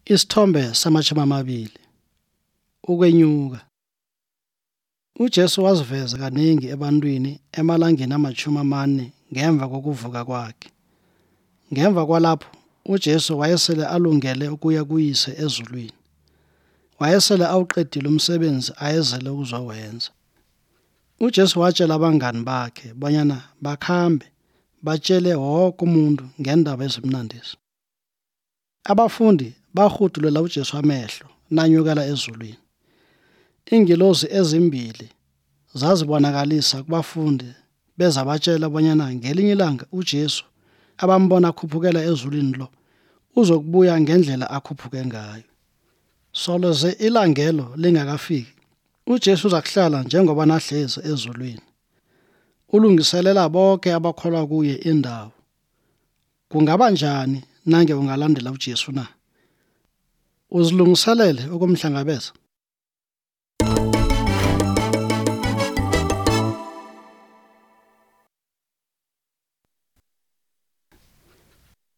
Isithombe sama-20 ukwenyuka. uJesu waziveza kaningi ebantwini emalangeni ama-40 ngemva kokuvuka kwakhe. Ngemva kwalapho uJesu wayesele alungele ukuya kuyise ezulwini. Wayesele awuqedile umsebenzi ayezele ukuzowenza. uJesu watshela abangani bakhe bonyana bakhambe batshele wonke umuntu ngendaba ezimnandisi. Abafundi bahudulela uJesu amehlo nanyukela ezulwini. Iingelosi ezimbili zazibonakalisa kubafundi beza batshela bonyana ngelinye ilanga uJesu abambona akhuphukela ezulwini lo uzokubuya ngendlela akhuphuke ngayo. Soloze ilangelo lingakafiki, uJesu uzakuhlala njengoba nahlezi ezulwini. Ulungiselela bonke abakholwa kuye indawo. Kungaba njani nange ungalandela uJesu na? Uzilungiselele ukumhlangabeza?